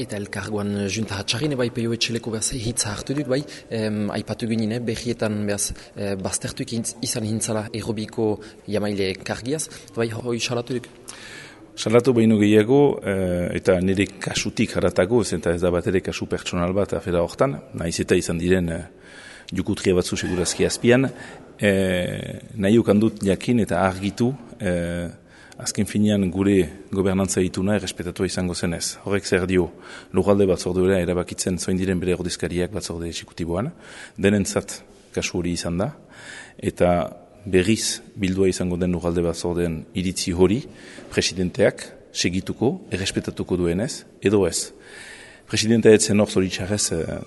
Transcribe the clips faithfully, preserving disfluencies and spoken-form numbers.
Eta elkargoan junta hatxarrin, bai, peio etxeleko behaz hitza hartu duk, bai, em, aipatu ginen, behietan behaz e, baztertuik izan hintzala errobiko jamaile kargiaz, bai, hoi salatu duk? Salatu behin gehiago, eta nire kasutik haratago, eta ez da bat ere kasu pertsonal bat afera hortan, nahiz eta izan diren e, jukutria batzu segurazki azpian, e, nahi ukandut jakin eta argitu, e, azken finean gure gobernantza ituna errespetatua izango zenez. Horrek zer dio, lugalde batzordura erabakitzen zoin diren bere ordezkariak batzorde exekutiboan, denentzat kasu hori izan da, eta berriz bildua izango den lugalde batzordean iritzi hori, presidenteak segituko, errespetatuko duenez, edo ez. Presidentea etzen hor zoritxarrez eh,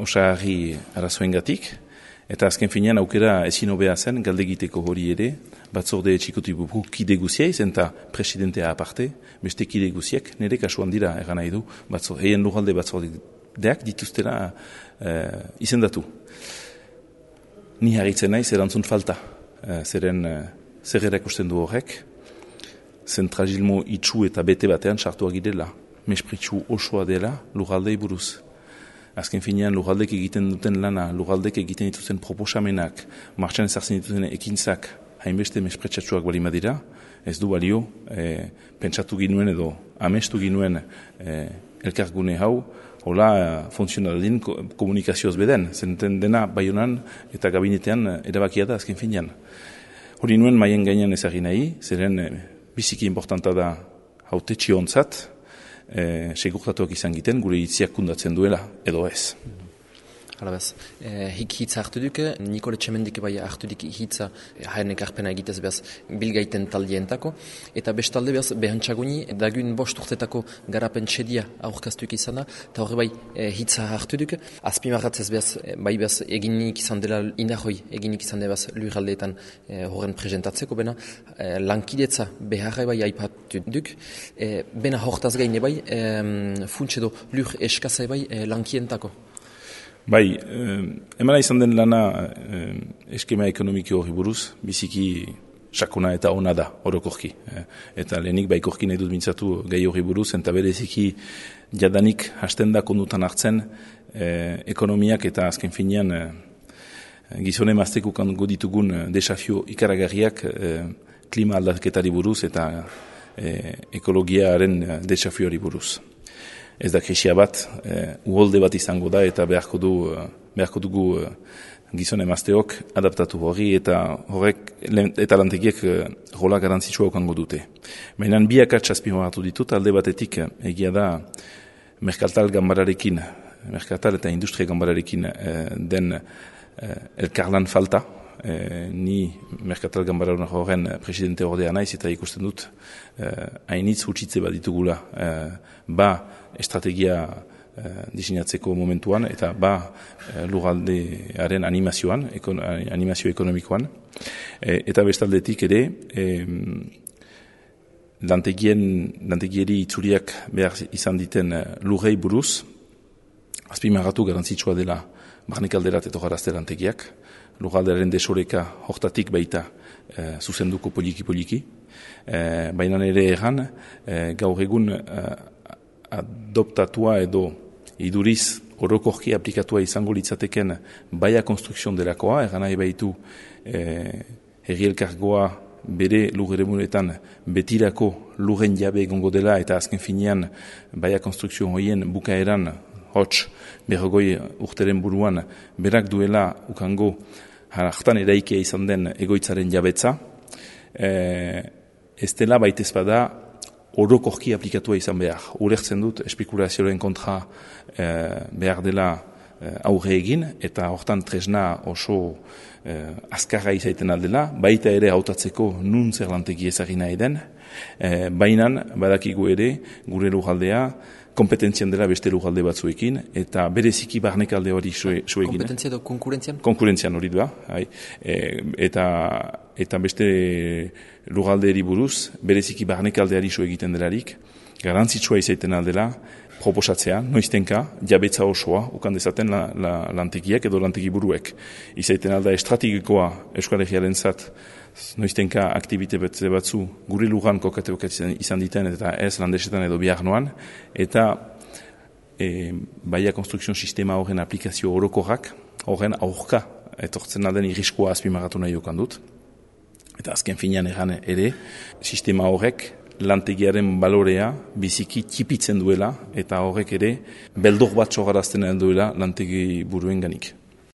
osarri arazoengatik, eta azken finean aukera ezin hobea zen galdegiteko hori ere, batzorde txikotibuko kide guziaiz, eta presidentea aparte, beste kide guziak, nire kasuan dira egan nahi du, batzorde, eien lugalde batzordeak dituztera eh, izendatu. Ni harritzen naiz erantzun falta, eh, zeren eh, zer erakusten du horrek, zentragilmo itxu eta bete batean sartua girela, mespritxu osoa dela lugaldei buruz. Azken finean lugaldek egiten duten lana, lugaldek egiten dituzten proposamenak, martxan ezartzen dituzten ekintzak, hainbeste mespretsatsuak bali madira, ez du balio, e, pentsatu ginuen edo amestu ginuen e, elkargune hau, hola e, funtzionaldin komunikazioz beden, zenten dena baionan eta gabinetean erabakia da azken finean. Hori nuen maien gainean ezagin nahi, zeren e, biziki importanta da haute txiontzat, E, segurtatuak izan giten, gure hitziak kundatzen duela, edo ez. Hala bez, e, hik hitza hartu duke, Nikole Txemendik bai hartu dik hitza haen ekarpena egitez behaz bilgaiten taldientako, eta bestalde behaz behantxaguni, dagun bost urtetako garapen txedia aurkaztuik izan da, eta horre bai e, hitza hartu duke, azpimarratzez behaz, bai behaz eginik izan dela indahoi, eginik izan dela lurraldeetan e, horren presentatzeko, bena e, lankidetza beharra bai aipatu duk, e, bena hortaz gaine bai, e, funts edo lur eskazai bai e, lankientako. Bai, eh, emana izan den lana eh, eskema ekonomiko hori buruz, biziki sakona eta ona da, orokorki. Eh, eta lehenik baikorki nahi dut mintzatu gai hori buruz, eta bereziki jadanik hasten da kondutan hartzen eh, ekonomiak eta azken finean eh, gizone mazteko kango ditugun desafio ikaragarriak eh, klima aldaketari buruz eta eh, ekologiaren desafiori buruz. Ez da krisia bat, e, uholde bat izango da eta beharko, du, beharko dugu e, gizon emazteok adaptatu hori eta horrek eta lantegiek e, rola garantzitsua okango dute. Baina biak atxazpimoratu ditut, alde batetik egia da merkatal gambararekin, merkatal eta industria gambararekin e, den e, elkarlan falta. E, ni merkatal gambara horren presidente ordea naiz eta ikusten dut hainitz e, hutsitze bat ditugula e, ba estrategia e, diseinatzeko momentuan eta ba e, lurraldearen animazioan, ekon, animazio ekonomikoan e, eta bestaldetik ere e, lantegien, lantegieri itzuriak behar izan diten lurrei buruz azpimarratu garantzitsua dela barnekalderat eto garazte lantegiak lurraldearen desoreka hortatik baita e, zuzenduko poliki-poliki. E, baina ere erran, e, gaur egun e, adoptatua edo iduriz orokorki aplikatua izango litzateken baia konstrukzion delakoa, erran nahi baitu e, herri elkargoa bere lur eremunetan betirako lurren jabe egongo dela eta azken finean baia konstrukzion horien bukaeran hots berrogoi urteren buruan berak duela ukango hartan eraikia izan den egoitzaren jabetza, e, ez dela baitez bada orokorki aplikatua izan behar. Ulertzen dut espekulazioaren kontra e, behar dela e, aurre egin, eta hortan tresna oso e, azkarra izaiten aldela, baita ere hautatzeko nun zer lantegi ezagina eden, e, bainan badakigu ere gure lurraldea, kompetentzian dela beste lurralde batzuekin, eta bereziki barnekalde hori suegin. Kompetentzia edo konkurentzian? Konkurentzian hori da, e, eta, eta beste lurraldeeri buruz, bereziki barnekaldeari su egiten delarik, garantzitsua izaiten aldela, proposatzea, noiztenka, jabetza osoa, ukan dezaten la, la, lantegiak edo lantegi buruek. Izaiten alda estrategikoa Euskal Herriaren zat, noiztenka aktibite batzu gure lugan kokate izan diten eta ez landesetan edo bihar noan, eta e, baia konstrukzion sistema horren aplikazio orokorrak, horren aurka etortzen den irriskoa azpimarratu nahi okan dut. Eta azken finean egan ere, sistema horrek lantegiaren balorea biziki txipitzen duela, eta horrek ere beldor bat sogarazten duela lantegi buruen ganik.